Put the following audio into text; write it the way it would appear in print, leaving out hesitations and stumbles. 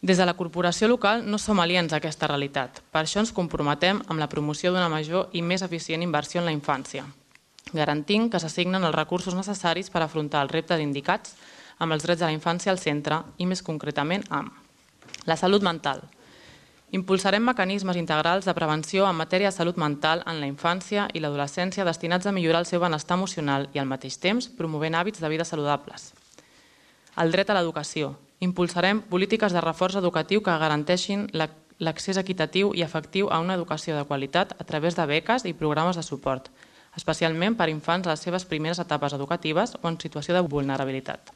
Des de la corporació local no som aliens a aquesta realitat. Per això ens comprometem amb la promoció d'una major i més eficient inversió en la infància, garantint que s'assignen els recursos necessaris per afrontar els reptes indicats amb els drets de la infància al centre i més concretament amb la salut mental. Impulsarem mecanismes integrals de prevenció en matèria de salut mental en la infància i l'adolescència destinats a millorar el seu benestar emocional i al mateix temps promovent hàbits de vida saludables. El dret a l'educació. Impulsarem polítiques de reforç educatiu que garanteixin l'accés equitatiu i efectiu a una educació de qualitat a través de beques i programes de suport, especialment per a infants a les seves primeres etapes educatives o en situació de vulnerabilitat.